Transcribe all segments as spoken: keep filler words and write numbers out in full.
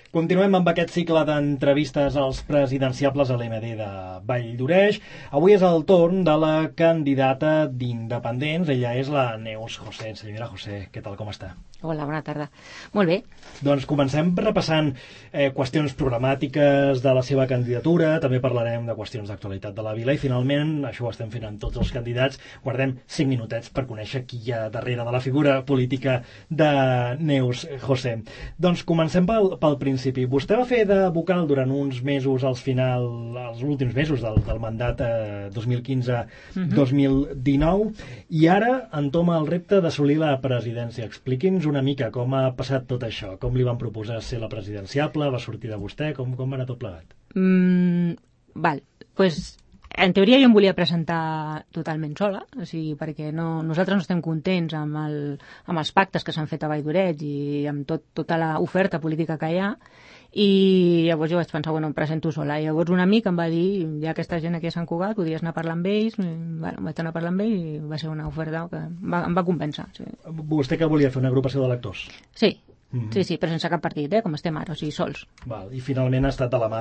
Continuem amb aquest cicle d'entrevistes als presidenciables a l'M D de Valldoreix. Avui és el torn de la candidata d'Independents. Ella és la Neus José. Senyora José, què tal, com està? Hola, bona tarda. Molt bé. Doncs comencem repassant eh, qüestions programàtiques de la seva candidatura, també parlarem de qüestions d'actualitat de la vila i finalment, això ho estem fent amb tots els candidats, guardem cinc minutets per conèixer qui hi ha darrere de la figura política de Neus José. Doncs comencem pel, pel principi. Vostè va fer de vocal durant uns mesos als final, als últims mesos del, del mandat eh, dos mil quinze dos mil dinou i ara entoma el repte d'assolir la presidència. Expliqui'ns una mica com ha passat tot això, com li van proposar ser la presidenciable, va sortir de vostè, com, com va anar tot plegat? Mm, val, pues, en teoria jo em volia presentar totalment sola, o sigui, perquè no, nosaltres no estem contents amb, el, amb els pactes que s'han fet a Valldoreix i amb tot, tota l'oferta política que hi ha, i llavors jo vaig pensar, bueno, em presento sola. I llavors un amic em va dir, hi ha aquesta gent aquí a Sant Cugat, podries anar a parlar amb ells, bueno, vaig anar a parlar amb ells i va ser una oferta que va, em va convèncer. Sí. Vostè que volia fer una agrupació d'electors? Sí. Mm-hmm. Sí, sí, però sense cap partit, eh, com estem ara, o sigui, sols. Val. I finalment ha estat a la mà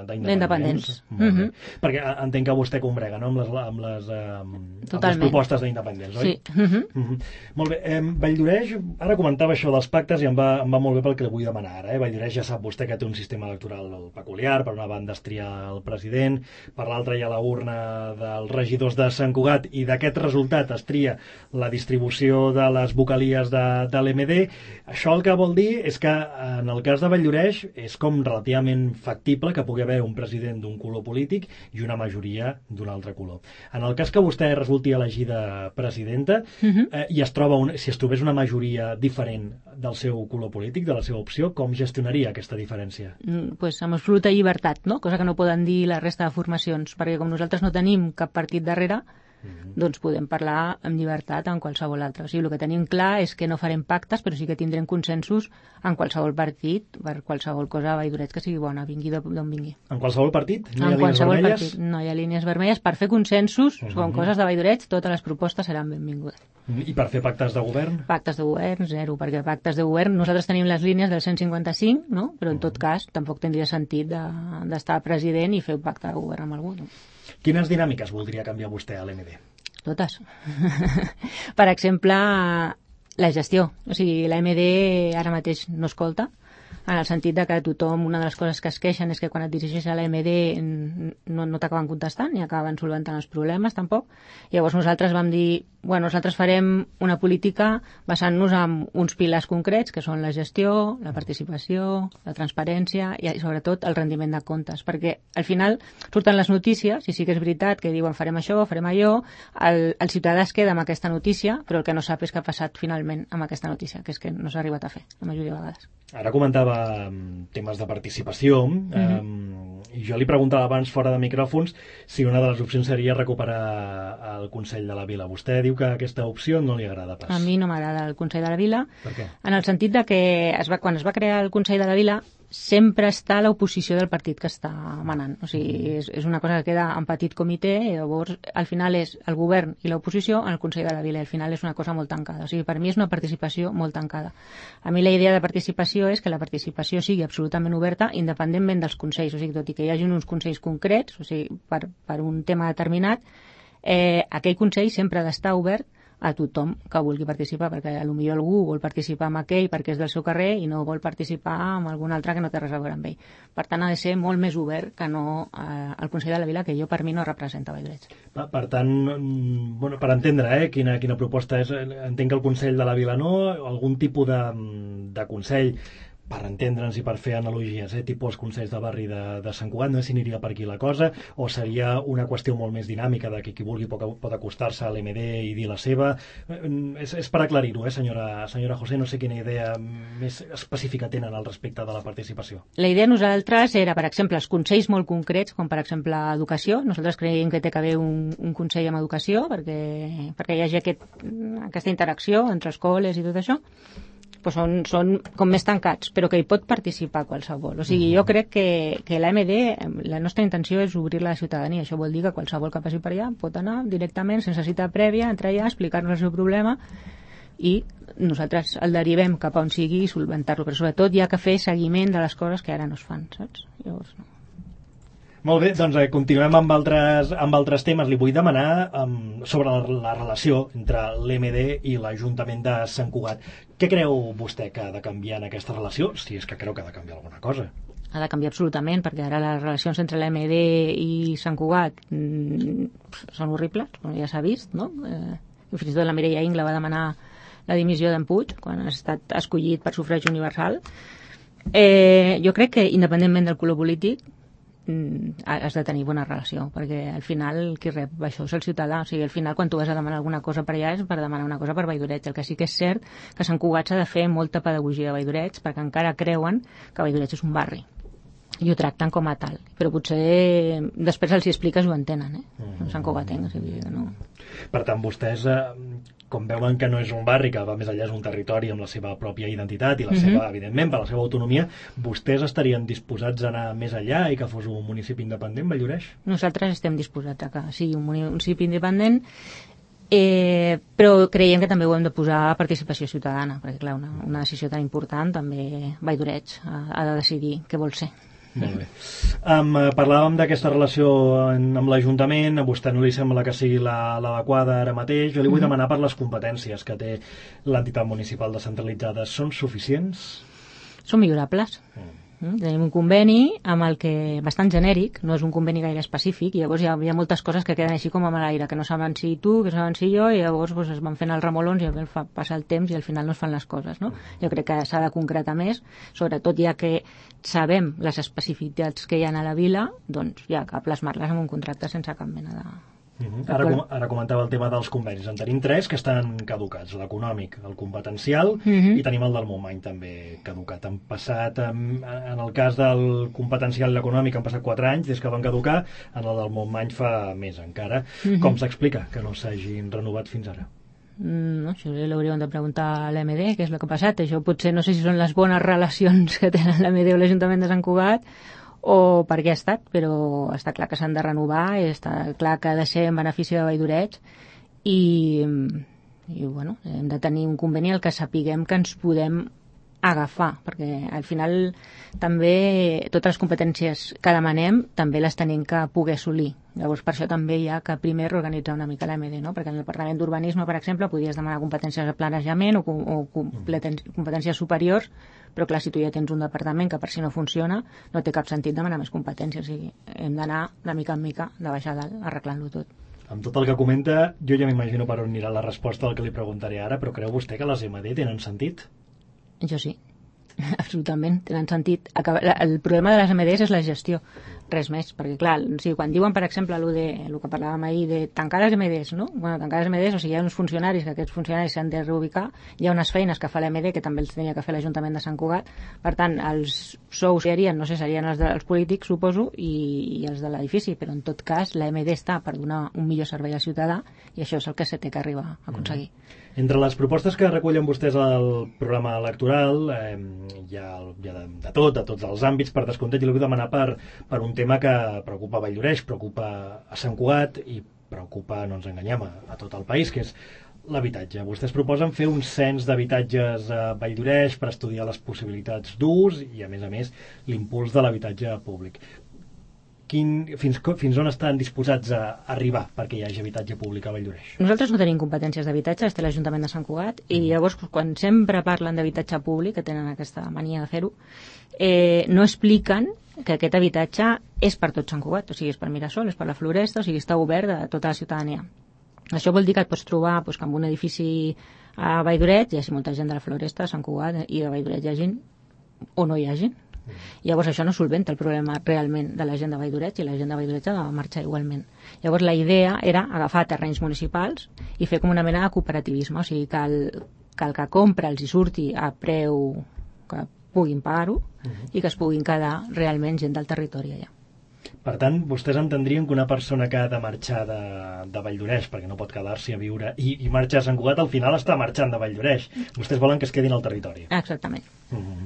d'Independents. Mm-hmm. Perquè entenc que vostè combrega, no?, amb les, amb les, amb, amb les propostes d'Independents, oi? Sí. Mm-hmm. Mm-hmm. Molt bé. Eh, Valldoreix, ara comentava això dels pactes i em va, em va molt bé pel que li vull demanar ara. Eh? Valldoreix ja sap vostè que té un sistema electoral peculiar, per una banda es tria el president, per l'altra hi ha la urna dels regidors de Sant Cugat i d'aquest resultat es tria la distribució de les vocalies de, de l'M D. Això el que vol dir és que en el cas de Valldoreix és com relativament factible que pugui haver un president d'un color polític i una majoria d'un altre color. En el cas que vostè resulti elegida presidenta, uh-huh. eh, i es troba un, si es trobés una majoria diferent del seu color polític, de la seva opció, com gestionaria aquesta diferència? Mm, pues amb absoluta llibertat, no? Cosa que no poden dir la resta de formacions, perquè com nosaltres no tenim cap partit darrere, Mm-hmm. doncs podem parlar amb llibertat en qualsevol altre. O sigui, el que tenim clar és que no farem pactes, però sí que tindrem consensos en qualsevol partit, per qualsevol cosa a Valldoreix que sigui bona, vingui d'on vingui. En qualsevol partit? No hi ha en línies vermelles? Partit. No hi ha línies vermelles. Per fer consensos mm-hmm. sobre coses de Valldoreix, totes les propostes seran benvingudes. I per fer pactes de govern? Pactes de govern, zero, perquè pactes de govern, nosaltres tenim les línies del cent cinquanta-cinc, no? Però en tot cas tampoc tindria sentit d'estar de, president i fer un pacte de govern amb algú. No? Quines dinàmiques voldria canviar vostè a l'M D? Totes. Per exemple, la gestió. O sigui, l'M D ara mateix no escolta, en el sentit de que tothom, una de les coses que es queixen és que quan et dirigeixes a l'M D no, no t'acaben contestant ni acaben solventant els problemes tampoc. Llavors nosaltres vam dir, bueno, nosaltres farem una política basant-nos en uns pilars concrets que són la gestió, la participació, la transparència i sobretot el rendiment de comptes, perquè al final surten les notícies i sí que és veritat que diuen farem això, farem allò, el, el ciutadà es queda amb aquesta notícia, però el que no sap és què ha passat finalment amb aquesta notícia, que és que no s'ha arribat a fer la majoria de vegades. Ara comentava temes de participació, mm-hmm. um, i jo li preguntava abans fora de micròfons si una de les opcions seria recuperar el Consell de la Vila. Vostè diu que aquesta opció no li agrada pas. A mi no m'agrada el Consell de la Vila. Per què? En el sentit de que es va, quan es va crear el Consell de la Vila sempre està l'oposició del partit que està manant. O sigui, és, és una cosa que queda en petit comitè i llavors al final és el govern i l'oposició en el Consell de la Vila i al final és una cosa molt tancada. O sigui, per mi és una participació molt tancada. A mi la idea de participació és que la participació sigui absolutament oberta independentment dels consells. O sigui, tot i que hi hagi uns consells concrets, o sigui, per, per un tema determinat, eh, aquell consell sempre ha d'estar obert a tothom que vulgui participar, perquè potser algú vol participar amb aquell perquè és del seu carrer i no vol participar amb algun altre que no té res a veure amb ell. Per tant, ha de ser molt més obert que no eh, el Consell de la Vila, que jo per mi no representa Valldoreix. Per tant, bueno, per entendre eh, quina, quina proposta és, entenc que el Consell de la Vila no, algun tipus de, de consell per entendre'ns i per fer analogies, eh, tipus consells de barri de, de Sant Cugat, no sé si aniria per aquí la cosa, o seria una qüestió molt més dinàmica de que qui vulgui pot, pot acostar-se a l'M D i dir la seva. És, és per aclarir-ho, eh, senyora, senyora José, no sé quina idea més específica tenen al respecte de la participació. La idea nosaltres era, per exemple, els consells molt concrets, com per exemple educació. Nosaltres creiem que té que haver un, un consell amb educació perquè, perquè hi hagi aquest, aquesta interacció entre escoles i tot això. Pues són, són com més tancats, però que hi pot participar qualsevol. O sigui, jo crec que, que l'A M D, la nostra intenció és obrir-la a la ciutadania. Això vol dir que qualsevol que passi per allà pot anar directament, sense cita prèvia, entrar allà, explicar-nos el seu problema, i nosaltres el derivem cap a on sigui i solventar-lo, però sobretot hi ha que fer seguiment de les coses que ara no es fan, saps? Llavors, no. Molt bé, doncs eh, continuem amb altres, amb altres temes. Li vull demanar um, sobre la, la relació entre l'M D i l'Ajuntament de Sant Cugat. Què creu vostè que ha de canviar en aquesta relació, si és que creu que ha de canviar alguna cosa? Ha de canviar absolutament, perquè ara les relacions entre l'M D i Sant Cugat mm, són horribles, com ja s'ha vist, no? Eh, fins i tot la Mireia Ingla va demanar la dimissió d'en Puig quan ha estat escollit per sufragi universal. Eh, jo crec que, independentment del color polític, has de tenir bona relació, perquè al final qui rep això és el ciutadà. O sigui, al final quan tu vas a demanar alguna cosa per allà és per demanar una cosa per Valldoreig. El que sí que és cert que Sant Cugat s'ha de fer molta pedagogia de Valldoreig, perquè encara creuen que Valldoreig és un barri i ho tracten com a tal, però potser després els hi expliques i ho entenen, eh? Mm. Sant Cugatenc, o sigui que no... Per tant, vostès, eh, com veuen que no és un barri, que va més enllà, és un territori amb la seva pròpia identitat i la seva, mm-hmm. evidentment, per la seva autonomia, vostès estarien disposats a anar més enllà i que fos un municipi independent, Valldoreix? Nosaltres estem disposats a que sigui un municipi independent, eh, però creiem que també ho hem de posar a participació ciutadana, perquè clar, una, una decisió tan important també Valldoreig ha, ha de decidir què vol ser. Molt bé. Um, parlàvem d'aquesta relació amb l'Ajuntament, a vostè no li sembla que sigui l'adequada ara mateix. Jo li vull demanar per les competències que té l'entitat municipal descentralitzada. Són suficients? Són millorables. Mm. Tenim un conveni amb el que bastant genèric, no és un conveni gaire específic, i llavors hi ha, hi ha moltes coses que queden així com a l'aire, que no saben si tu, que saben si jo, i llavors pues, es van fent els remolons i fa, passa el temps i al final no es fan les coses, no? Jo crec que s'ha de concretar més, sobretot ja que sabem les especificitats que hi ha a la vila, doncs ja que plasmar-les en un contracte sense cap mena de... Uh-huh. Ara, com, ara comentava el tema dels convenis. En tenim tres que estan caducats, l'econòmic, el competencial uh-huh. i tenim el del Montmany també caducat. Han passat, en, en el cas del competencial i l'econòmic han passat quatre anys des que van caducar, en el del Montmany fa més encara. Uh-huh. Com s'explica que no s'hagin renovat fins ara? Mm, no, això l'hauríem de preguntar a l'M D què és el que ha passat. Això potser no sé si són les bones relacions que tenen l'M D o l'Ajuntament de Sant Cugat o per què ha estat, però està clar que s'han de renovar i està clar que ha de ser en benefici de Valldoreig i, i bueno, hem de tenir un conveni al que sapiguem que ens podem agafar, perquè al final també totes les competències que demanem també les tenim que poder assolir. Llavors per això també hi ha que primer reorganitzar una mica l'M D, no? Perquè en el Departament d'Urbanisme, per exemple, podies demanar competències de planejament o, o competències superiors, però clar, si tu ja tens un departament que per si no funciona, no té cap sentit demanar més competències. O sigui, hem d'anar de mica en mica, de baix a dalt, arreglant-lo tot. Amb tot el que comenta, jo ja m'imagino per on anirà la resposta del que li preguntaré ara, però creu vostè que les M D tenen sentit? Jo sí, absolutament, tenen sentit. El problema de les M Ds és la gestió, res més, perquè clar, o sigui, quan diuen, per exemple, el, de, el que parlàvem ahir de tancar les M Ds, no? Bueno, tancar les M Ds, o sigui, hi ha uns funcionaris, que aquests funcionaris s'han de reubicar, hi ha unes feines que fa l'M D, que també els tenia que fer l'Ajuntament de Sant Cugat, per tant, els sous serien, no sé, serien els dels polítics, suposo, i, i els de l'edifici, però en tot cas, la M D està per donar un millor servei al ciutadà, i això és el que se té que arribar a aconseguir. Mm. Entre les propostes que recullen vostès al programa electoral, eh, hi ha, hi ha de, de tot, de tots els àmbits, per descomptat, i li vull demanar per, per un tema que preocupa a Valldoreix, preocupa a Sant Cugat i preocupa, no ens enganyem, a, a tot el país, que és l'habitatge. Vostès proposen fer un cens d'habitatges a Valldoreix per estudiar les possibilitats d'ús i, a més a més, l'impuls de l'habitatge públic. Quin, fins, fins on estan disposats a arribar perquè hi hagi habitatge públic a Valldoreix? Nosaltres no tenim competències d'habitatge, té l'Ajuntament de Sant Cugat, i llavors quan sempre parlen d'habitatge públic, que tenen aquesta mania de fer-ho, eh, no expliquen que aquest habitatge és per tot Sant Cugat, o sigui, és per Mirasol, és per la Floresta, o sigui, està obert a tota la ciutadania. Això vol dir que et pots trobar doncs, que en un edifici a Valldoreix hi hagi molta gent de la Floresta, a Sant Cugat, i a Valldoreix hi hagi o no hi hagi. Llavors això no solventa el problema realment de la gent de Valldoreix, i la gent de Valldoreix ha de marxar igualment. Llavors la idea era agafar terrenys municipals i fer com una mena de cooperativisme, o sigui que el que, el que compra els hi surti a preu que puguin pagar-ho uh-huh. i que es puguin quedar realment gent del territori allà. Per tant, vostès entendrien que una persona que ha de marxar de, de Valldoreix, perquè no pot quedar-s'hi a viure, i, i marxar a Sant Cugat, al final està marxant de Valldoreix. Vostès volen que es quedin al territori. Exactament. Mm-hmm.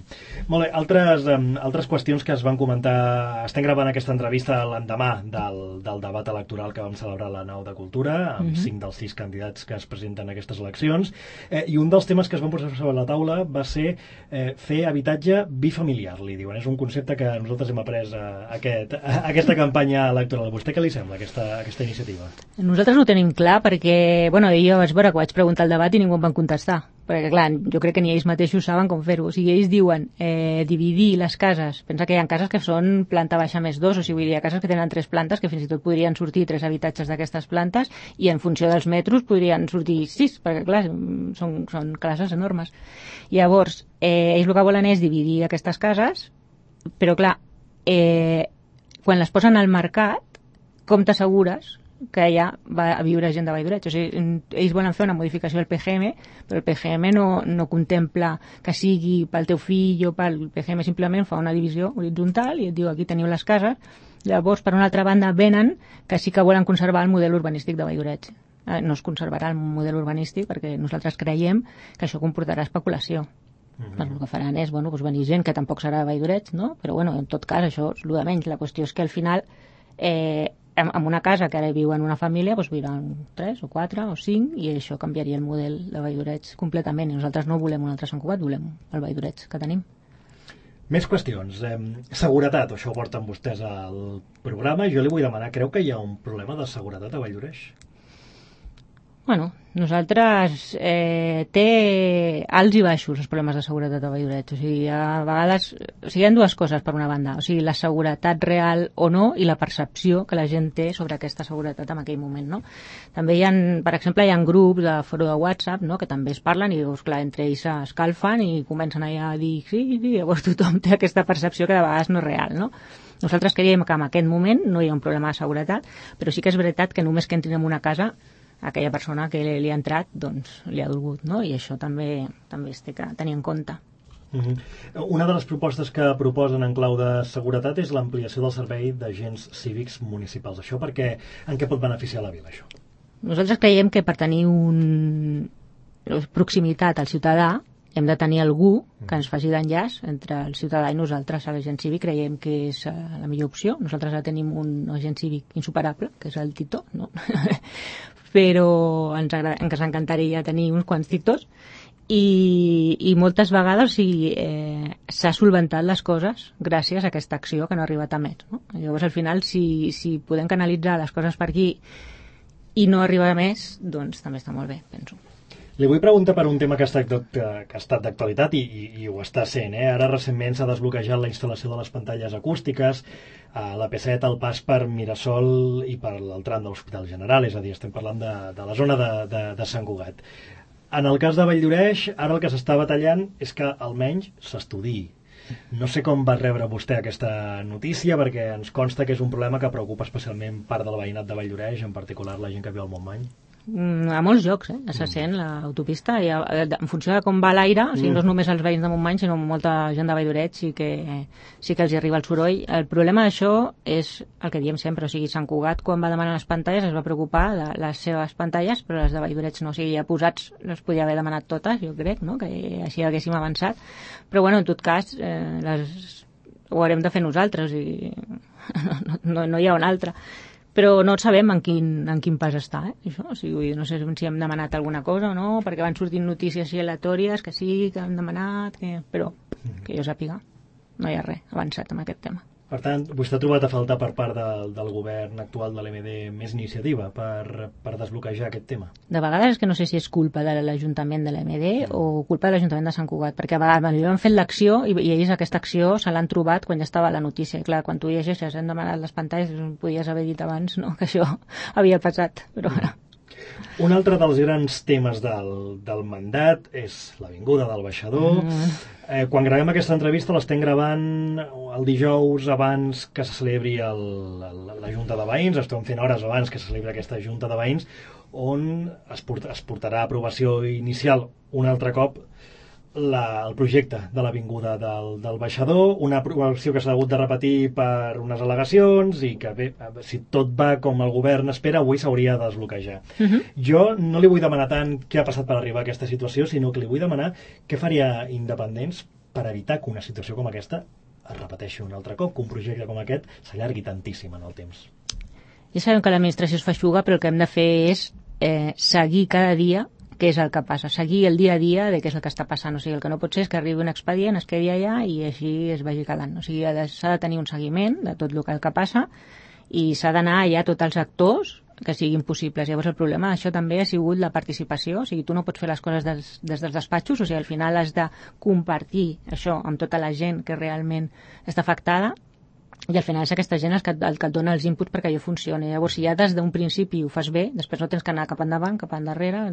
Molt bé, altres, um, altres qüestions que es van comentar. Estem gravant aquesta entrevista l'endemà del, del debat electoral que vam celebrar a la Nau de Cultura, amb mm-hmm. cinc dels sis candidats que es presenten a aquestes eleccions, eh, i un dels temes que es van posar sobre la taula va ser eh, fer habitatge bifamiliar, li diuen. És un concepte que nosaltres hem après a, a, aquest, a aquesta campanya electoral. A vostè què li sembla aquesta, aquesta iniciativa? Nosaltres ho tenim clar perquè, bueno, jo vaig veure que vaig preguntar al debat i ningú em van contestar. Perquè, clar, jo crec que ni ells mateixos saben com fer-ho. O sigui, ells diuen eh, dividir les cases. Pensa que hi ha cases que són planta baixa més dos, o sigui, hi ha cases que tenen tres plantes, que fins i tot podrien sortir tres habitatges d'aquestes plantes, i en funció dels metres podrien sortir sis, perquè, clar, són, són classes enormes. Llavors, eh, ells el que volen és dividir aquestes cases, però, clar, eh, quan les posen al mercat, com t'assegures que allà va a viure gent de Valldoreix? O sigui, ells volen fer una modificació del P G M, però el P G M no, no contempla que sigui pel teu fill o pel P G M, simplement fa una divisió horitzontal i et diu aquí teniu les cases. Llavors, per una altra banda, venen que sí que volen conservar el model urbanístic de Valldoreix. No es conservarà el model urbanístic perquè nosaltres creiem que això comportarà especulació. Mm-hmm. El que faran és, bueno, doncs venir gent que tampoc serà de Valldoreix, no? Però, bueno, en tot cas, això és el de menys. La qüestió és que al final, eh, en una casa que ara viu en una família, doncs viuran tres o quatre o cinc, i això canviaria el model de Valldoreix completament. I nosaltres no volem un altre Sant Cugat, volem el Valldoreix que tenim. Més qüestions. Eh, seguretat, això ho porten vostès al programa. Jo li vull demanar, creu que hi ha un problema de seguretat a Valldoreix? Bueno, nosaltres eh, té alts i baixos els problemes de seguretat a Valldoreix. O sigui, a vegades, o sigui, hi ha dues coses per una banda, o sigui, la seguretat real o no i la percepció que la gent té sobre aquesta seguretat en aquell moment, no? També hi ha, per exemple, hi ha grups de foro de WhatsApp, no?, que també es parlen i, doncs, clar, entre ells s'escalfen i comencen allà a dir sí, sí, llavors tothom té aquesta percepció que de vegades no és real, no? Nosaltres creiem que en aquest moment no hi ha un problema de seguretat, però sí que és veritat que només que entrin en una casa aquella persona que li ha entrat, doncs, li ha dolgut, no? I això també també es té que tenir en compte. Uh-huh. Una de les propostes que proposen en clau de seguretat és l'ampliació del servei d'agents cívics municipals. Això perquè, en què pot beneficiar la vila, això? Nosaltres creiem que per tenir un proximitat al ciutadà hem de tenir algú que ens faci d'enllaç entre el ciutadà i nosaltres. A l'agent cívic creiem que és la millor opció. Nosaltres ja tenim un agent cívic insuperable, que és el Tito, no? Però ens, ens encantaria tenir uns quants Titos i, i moltes vegades s'ha sí, eh, solventat les coses gràcies a aquesta acció que no ha arribat a més, no? Llavors, al final, si, si podem canalitzar les coses per aquí i no arribar a més, doncs també està molt bé, penso. Li vull preguntar per un tema que ha estat, que ha estat d'actualitat i, i, i ho està sent. Eh? Ara recentment s'ha desbloquejat la instal·lació de les pantalles acústiques a l'A P set, al pas per Mirasol i per el tram de l'Hospital General, és a dir, estem parlant de, de la zona de, de, de Sant Cugat. En el cas de Valldoreix, ara el que s'està batallant és que almenys s'estudiï. No sé com va rebre vostè aquesta notícia, perquè ens consta que és un problema que preocupa especialment part del veïnat de Valldoreix, en particular la gent que viu al Montmany. A molts llocs, eh? Se sent l'autopista i en funció de com va l'aire, o sigui, no és només els veïns de Montmany, sinó molta gent de Valldoreix sí que, sí que els hi arriba el soroll. El problema d'això és el que diem sempre, o sigui, Sant Cugat quan va demanar les pantalles es va preocupar de les seves pantalles, però les de Valldoreix no, o sigui, ja posats les podia haver demanat totes, jo crec, no?, que així haguéssim avançat, però bueno, en tot cas eh, les... ho haurem de fer nosaltres i no, no, no hi ha un altre. Però no sabem en quin, en quin pas està, eh, això. O sigui, no sé si hem demanat alguna cosa o no, perquè van sortint notícies així aleatòries que sí, que han demanat, que... però que jo sàpiga, no hi ha res avançat amb aquest tema. Per tant, vostè ha trobat a faltar per part del, del govern actual de l'E M D més iniciativa per, per desbloquejar aquest tema? De vegades és que no sé si és culpa de l'Ajuntament de l'E M D mm. o culpa de l'Ajuntament de Sant Cugat, perquè a vegades jo han fet l'acció i, i ells aquesta acció se l'han trobat quan ja estava la notícia. I clar, quan tu llegeixes, hem demanat les pantalles, podies haver dit abans, no?, que això havia passat, però ara... Un altre dels grans temes del, del mandat és l'avinguda del Baixador. Mm. Eh, quan gravem aquesta entrevista l'estem gravant el dijous abans que se celebri el, el, la Junta de Veïns, estem fent hores abans que se celebri aquesta Junta de Veïns, on es, port, es portarà a aprovació inicial un altre cop la, el projecte de l'avinguda del, del baixador, una, una acció que s'ha hagut de repetir per unes al·legacions i que bé, si tot va com el govern espera, avui s'hauria de desbloquejar. Uh -huh. Jo no li vull demanar tant què ha passat per arribar a aquesta situació, sinó que li vull demanar què faria Independents per evitar que una situació com aquesta es repeteixi un altre cop, que un projecte com aquest s'allargui tantíssim en el temps. Ja sabem que l'administració es feixuga, però el que hem de fer és eh, seguir cada dia què és el que passa, seguir el dia a dia de què és el que està passant. O sigui, el que no pot ser és que arribi un expedient, es quedi allà i així es vagi quedant. O sigui, s'ha de tenir un seguiment de tot el que, el que passa i s'ha d'anar allà a tots els actors que siguin possibles. Llavors el problema d'això també ha sigut la participació, o sigui, tu no pots fer les coses des, des dels despatxos, o sigui, al final has de compartir això amb tota la gent que realment està afectada i al final és aquesta gent el que, el que et dona els inputs perquè allò funcioni. Llavors, si ja des d'un principi ho fas bé, després no tens que anar cap endavant, cap endarrere,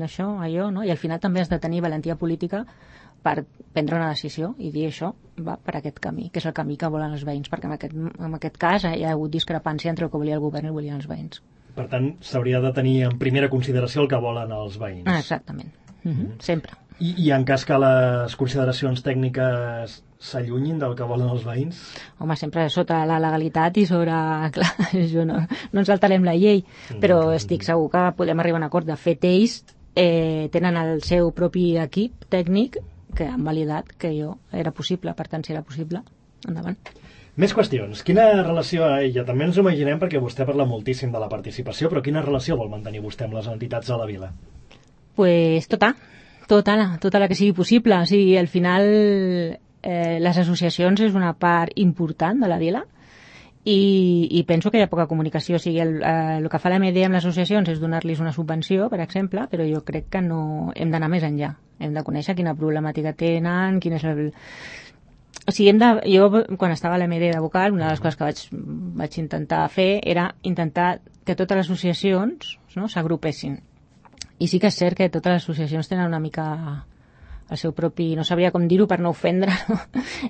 això, allò, no? I al final també has de tenir valentia política per prendre una decisió i dir això va per aquest camí, que és el camí que volen els veïns, perquè en aquest, en aquest cas hi ha hagut discrepància entre el que volia el govern i el que volien els veïns. Per tant, s'hauria de tenir en primera consideració el que volen els veïns. Ah, exactament. Uh-huh. Mm-hmm. Sempre. I, I en cas que les consideracions tècniques s'allunyin del que volen els veïns? Home, sempre sota la legalitat i sobre... Clar, jo no, no ens saltarem la llei, però estic segur que podem arribar a un acord. De fet, ells eh, tenen el seu propi equip tècnic que han validat que jo era possible, per tant, si era possible, endavant. Més qüestions. Quina relació, ja també ens ho imaginem perquè vostè parla moltíssim de la participació, però quina relació vol mantenir vostè amb les entitats de la vila? Pues tota, tota la, tota la que sigui possible. O sigui, al final eh, les associacions és una part important de la vila i, i penso que hi ha poca comunicació. O sigui, el, eh, el que fa l'A M D amb les associacions és donar-los una subvenció, per exemple, però jo crec que no hem d'anar més enllà. Hem de conèixer quina problemàtica tenen, quin és el... O sigui, hem de, jo, quan estava a l'A M D de vocal, una de les coses que vaig, vaig intentar fer era intentar que totes les associacions, no, s'agrupessin. I sí que és cert que totes les associacions tenen una mica el seu propi, no sabria com dir-ho per no ofendre, no?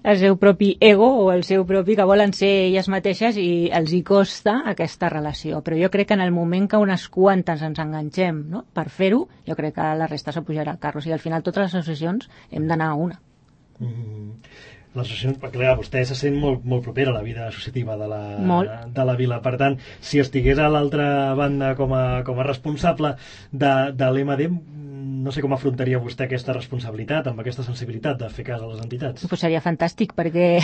El seu propi ego o el seu propi que volen ser elles mateixes i els hi costa aquesta relació. Però jo crec que en el moment que unes quantes ens enganxem, no?, per fer-ho, jo crec que la resta s'apujarà al carro. O sigui, al final totes les associacions hem d'anar a una. Mm. Les associacions, perquè clar, vostè se sent molt, molt propera a la vida associativa de la, de la vila. Per tant, si estigués a l'altra banda com a, com a responsable de, de l'E M D, no sé com afrontaria vostè aquesta responsabilitat, amb aquesta sensibilitat de fer cas a les entitats. Pues seria fantàstic, perquè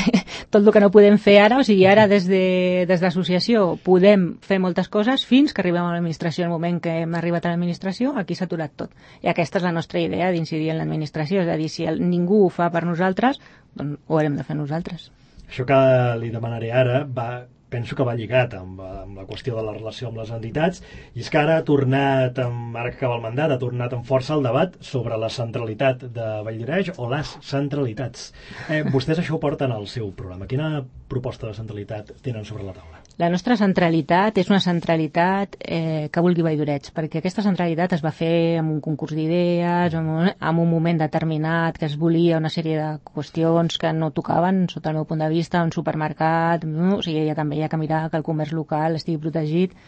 tot el que no podem fer ara, o sigui, ara des de, des de l'associació podem fer moltes coses fins que arribem a l'administració. El moment que hem arribat a l'administració, aquí s'ha aturat tot. I aquesta és la nostra idea d'incidir en l'administració, és a dir, si el, ningú ho fa per nosaltres, doncs ho haurem de fer nosaltres. Això que li demanaré ara va, penso que va lligat amb, amb la qüestió de la relació amb les entitats, i és que ara ha tornat, amb, ara que acaba el mandat, ha tornat amb força el debat sobre la centralitat de Valldioreix o les centralitats. Eh, vostès això ho porten al seu programa. Quina proposta de centralitat tenen sobre la taula? La nostra centralitat és una centralitat eh, que vulgui Valldioreix, perquè aquesta centralitat es va fer amb un concurs d'idees, en un, en un moment determinat, que es volia una sèrie de qüestions que no tocaven, sota el meu punt de vista, un supermercat, no? O sigui, ja també hi ha que mirar que el comerç local estigui protegit,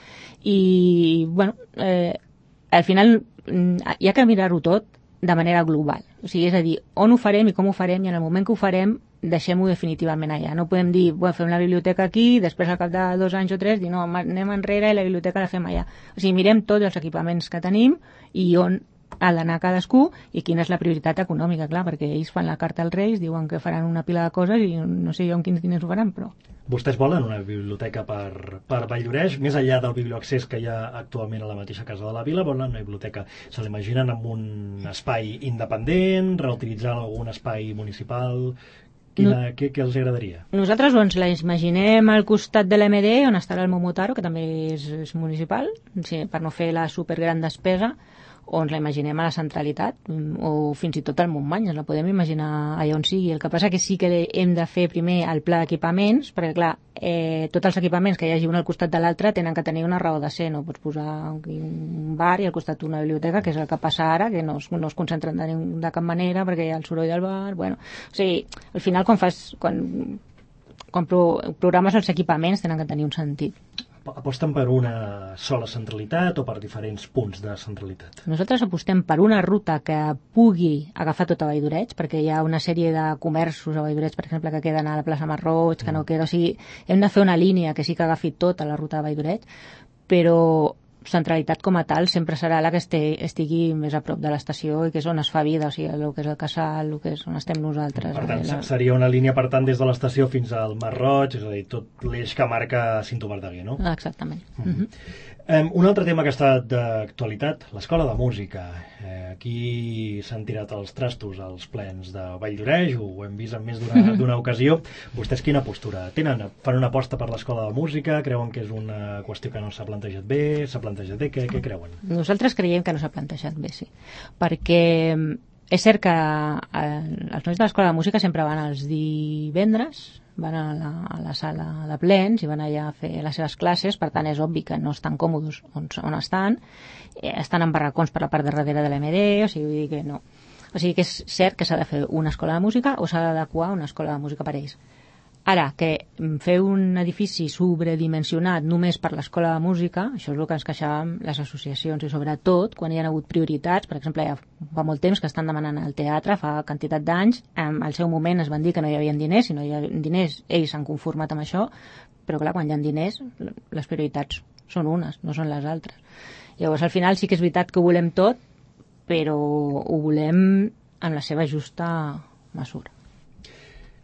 i, bueno, eh, al final hi ha que mirar-ho tot de manera global. O sigui, és a dir, on ho farem i com ho farem, i en el moment que ho farem deixem-ho definitivament allà. No podem dir, bueno, fem la biblioteca aquí, després al cap de dos anys o tres dir, no, anem enrere i la biblioteca la fem allà. O sigui, mirem tots els equipaments que tenim i on ha d'anar cadascú i quina és la prioritat econòmica, clar, perquè ells fan la carta als Reis, diuen que faran una pila de coses i no sé jo amb quins diners ho faran, però... Vostès volen una biblioteca per, per Valldioreix, més enllà del biblioaccés que hi ha actualment a la mateixa casa de la vila, volen una biblioteca. Se l'imaginen amb un espai independent, reutilitzant algun espai municipal... Quina, no, què, què els agradaria? Nosaltres ens la imaginem al costat de l'A M D, on estarà el Momotaro, que també és, és municipal, sí, per no fer la supergran despesa, o ens la imaginem a la centralitat, o fins i tot al Montmany, ens la podem imaginar allà on sigui. El que passa que sí que hem de fer primer el pla d'equipaments, perquè clar, eh, tots els equipaments que hi hagi un al costat de l'altre tenen que tenir una raó de ser, no pots posar un bar i al costat una biblioteca, que és el que passa ara, que no es, no es concentren de, de cap manera perquè hi ha el soroll del bar, bueno, o sigui, al final quan fas, quan, quan pro, programes els equipaments tenen que tenir un sentit. aposten per una sola centralitat o per diferents punts de centralitat? Nosaltres apostem per una ruta que pugui agafar tota Vall d'Oreig, perquè hi ha una sèrie de comerços a Vall d'Oreig, per exemple, que queden a la plaça Marroig, que no queda... O sigui, hem de fer una línia que sí que agafi tota la ruta de Vall d'Oreig, però centralitat com a tal sempre serà la que estigui més a prop de l'estació i que és on es fa vida, o sigui, el que és el Casal, el que és on estem nosaltres. Per tant, la... seria una línia, per tant, des de l'estació fins al Mar Roig, és a dir, tot l'eix que marca Cinto Verdaguer, no? Exactament. Mm-hmm. Mm-hmm. Um, un altre tema que ha estat d'actualitat, l'escola de música. Eh, aquí s'han tirat els trastos als plens de Vall d'Oreig, ho hem vist en més d'una d'una ocasió. Vostès quina postura tenen? Fan una aposta per l'escola de música? Creuen que és una qüestió que no s'ha plantejat bé? S'ha plantejat bé? Què, què creuen? Nosaltres creiem que no s'ha plantejat bé, sí. Perquè és cert que els nois de l'escola de música sempre van els divendres, van a la, a la sala de plens i van allà a fer les seves classes, per tant és obvi que no estan còmodes on, on estan, eh, estan en barracons per la part de darrere de l'M D, o sigui, vull dir que no. O sigui que és cert que s'ha de fer una escola de música o s'ha d'adequar una escola de música per ells. Ara, que fer un edifici sobredimensionat només per l'escola de música, això és el que ens queixàvem les associacions i sobretot quan hi ha hagut prioritats, per exemple, ja fa molt temps que estan demanant al teatre, fa quantitat d'anys, al seu moment es van dir que no hi havia diners, si no hi havia diners ells s'han conformat amb això, però clar, quan hi ha diners les prioritats són unes, no són les altres. Llavors al final sí que és veritat que ho volem tot, però ho volem en la seva justa mesura.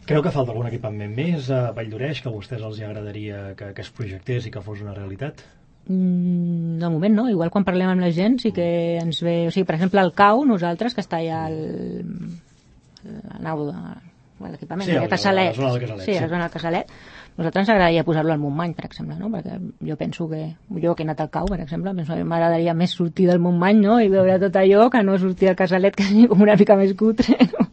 Creu que falta algun equipament més a Vall d'Oreig que a vostès els agradaria que, que es projectés i que fos una realitat? Mm, de moment no, igual quan parlem amb la gent sí que ens ve, o sigui, per exemple el C A U, nosaltres, que està allà al la nau de l'equipament, sí, el Casalet, la zona del Casalet, sí, la zona del Casalet, nosaltres ens agradaria posar-lo al Montmany, per exemple, no? Perquè jo penso que, jo que he anat al C A U, per exemple, penso que m'agradaria més sortir del Montmany, no? I veure tot allò que no sortir del Casalet, que és com una mica més cutre, no?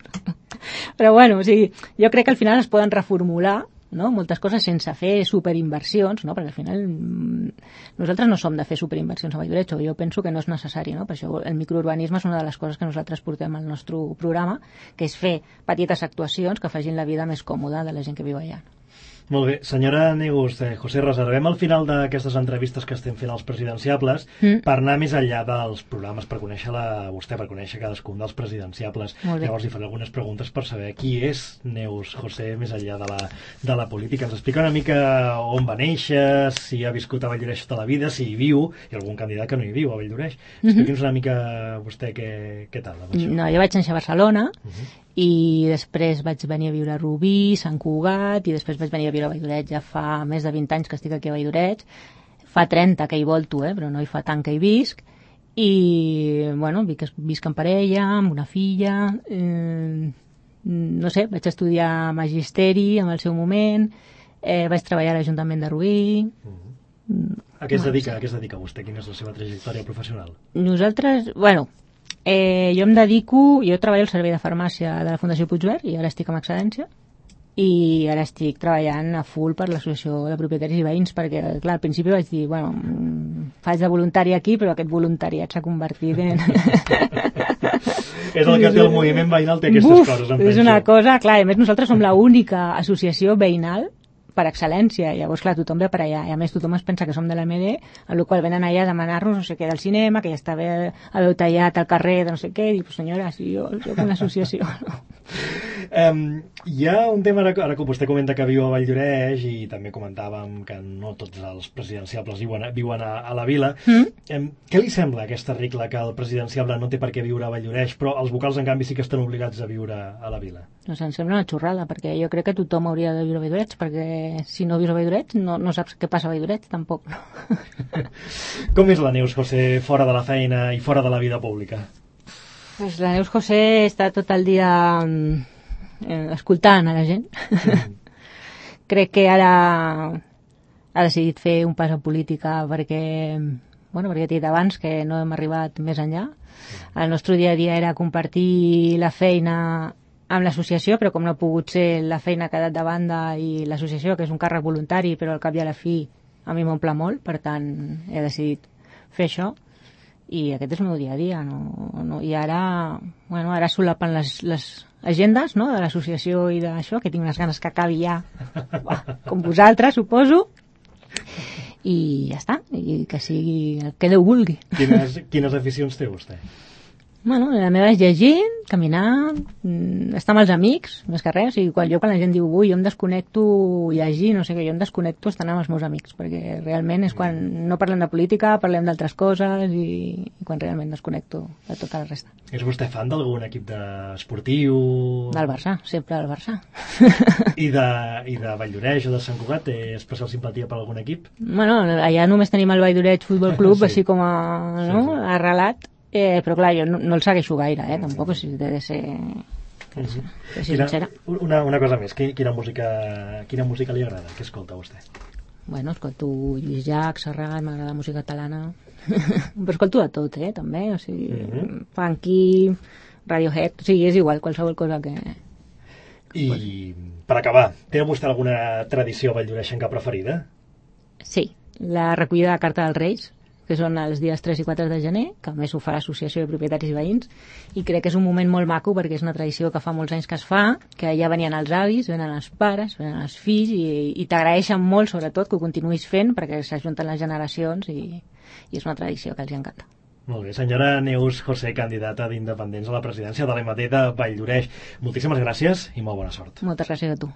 Però bueno, o sigui, jo crec que al final es poden reformular, no? Moltes coses sense fer superinversions, no? Perquè al final nosaltres no som de fer superinversions a Vall d'Oreig, jo penso que no és necessari, no? Per això el microurbanisme és una de les coses que nosaltres portem al nostre programa, que és fer petites actuacions que facin la vida més còmoda de la gent que viu allà. Molt bé. Senyora Negus, eh, José, reservem al final d'aquestes entrevistes que estem fent als presidenciables mm. per anar més enllà dels programes, per conèixer-la vostè, per conèixer cadascun dels presidenciables. Llavors li faré algunes preguntes per saber qui és Neus José més enllà de la, de la política. Ens explica una mica on va néixer, si ha viscut a Vall d'Oreig tota la vida, si hi viu, i algun candidat que no hi viu a Vall d'Oreig. Expliqui'ns mm-hmm. una mica vostè què, què tal. No, jo vaig néixer a Barcelona, uh-huh. i després vaig venir a viure a Rubí, Sant Cugat, i després vaig venir a viure a Vall d'Oreig. Ja fa més de vint anys que estic aquí a Vall d'Oreig. Fa trenta que hi volto, eh, però no hi fa tant que hi visc. I, bueno, visc en parella, amb una filla. Eh, no sé, vaig estudiar magisteri en el seu moment. Eh, vaig treballar a l'Ajuntament de Rubí. Uh-huh. A què es dedica, a què es dedica vostè? Quina és la seva trajectòria professional? Nosaltres, bueno... Eh, jo em dedico, jo treballo al servei de farmàcia de la Fundació Puigverd i ara estic amb excedència i ara estic treballant a full per l'associació de propietaris i veïns perquè, clar, al principi vaig dir, bueno, faig de voluntari aquí, però aquest voluntariat s'ha convertit en... És el que té el moviment veïnal, té aquestes Uf, coses, em és penso. una cosa, clar, a més nosaltres som l'única associació veïnal per excel·lència, llavors clar, tothom ve per allà i a més tothom es pensa que som de l'M D, amb la qual venen allà a demanar-nos no sé què del cinema, que ja està bé haver tallat al carrer de no sé què, i dic, pues senyora, si jo soc una associació, no? Um, hi ha un tema, ara, ara que vostè comenta que viu a Vall d'Oreig i també comentàvem que no tots els presidenciables viuen a, viuen a, a la vila. Mm. Um, què li sembla aquesta regla que el presidenciable no té per què viure a Vall d'Oreig, però els vocals en canvi sí que estan obligats a viure a la vila? Doncs em sembla una xorrada, perquè jo crec que tothom hauria de viure a Vall d'Oreig, perquè si no vius a Vall d'Oreig no, no saps què passa a Vall d'Oreig, tampoc. No? Com és la Neus José fora de la feina i fora de la vida pública? Pues la Neus José està tot el dia eh, escoltant a la gent. Mm. Crec que ara ha decidit fer un pas a política perquè, bueno, perquè he dit abans que no hem arribat més enllà. El nostre dia a dia era compartir la feina amb l'associació, però com no ha pogut ser, la feina ha quedat de banda i l'associació, que és un càrrec voluntari, però al cap i a la fi a mi m'omple molt, per tant he decidit fer això. I aquest és el meu dia a dia, no, no, i ara, bueno, ara solapen les, les agendes, no?, de l'associació i d'això, que tinc unes ganes que acabi ja, com vosaltres, suposo, i ja està, i que sigui el que Déu vulgui. Quines, quines aficions té vostè? Bueno, la meva és llegir, caminar, estar amb els amics, més que res. O sigui, quan, jo quan la gent diu, ui, jo em desconnecto llegir, no sé què, jo em desconnecto estant amb els meus amics, perquè realment és quan no parlem de política, parlem d'altres coses i, i quan realment desconnecto de tota la resta. És vostè fan d'algun equip esportiu? Del Barça, sempre del Barça. I de, i de Valldoreix o de Sant Cugat té especial simpatia per algun equip? Bueno, allà només tenim el Valldoreix Futbol Club, sí. Així com a, no? Sí, sí. Arrelat. Eh, però clar, jo no, no el segueixo gaire, eh, tampoc, si he de ser, de ser, de ser sincera. Una, una cosa més, quina música, quina música li agrada? Què escolta vostè? Bueno, escolto Lluís Llach, Serrat, m'agrada música catalana, però escolto de tot, eh, també, o sigui, uh -huh. funky, Radiohead, o sigui, és igual, qualsevol cosa que... I, pues... per acabar, té vostè alguna tradició valldoreixenca preferida? Sí, la recollida de carta dels Reis, que són els dies tres i quatre de gener, que a més ho fa l'Associació de Propietaris i Veïns, i crec que és un moment molt maco perquè és una tradició que fa molts anys que es fa, que ja venien els avis, venen els pares, venen els fills, i, i t'agraeixen molt, sobretot, que ho continuïs fent perquè s'ajunten les generacions i, i és una tradició que els encanta. Molt bé, senyora Neus José, candidata d'Independents a la presidència de l'M D de Valldoreix. Moltíssimes gràcies i molt bona sort. Moltes gràcies a tu.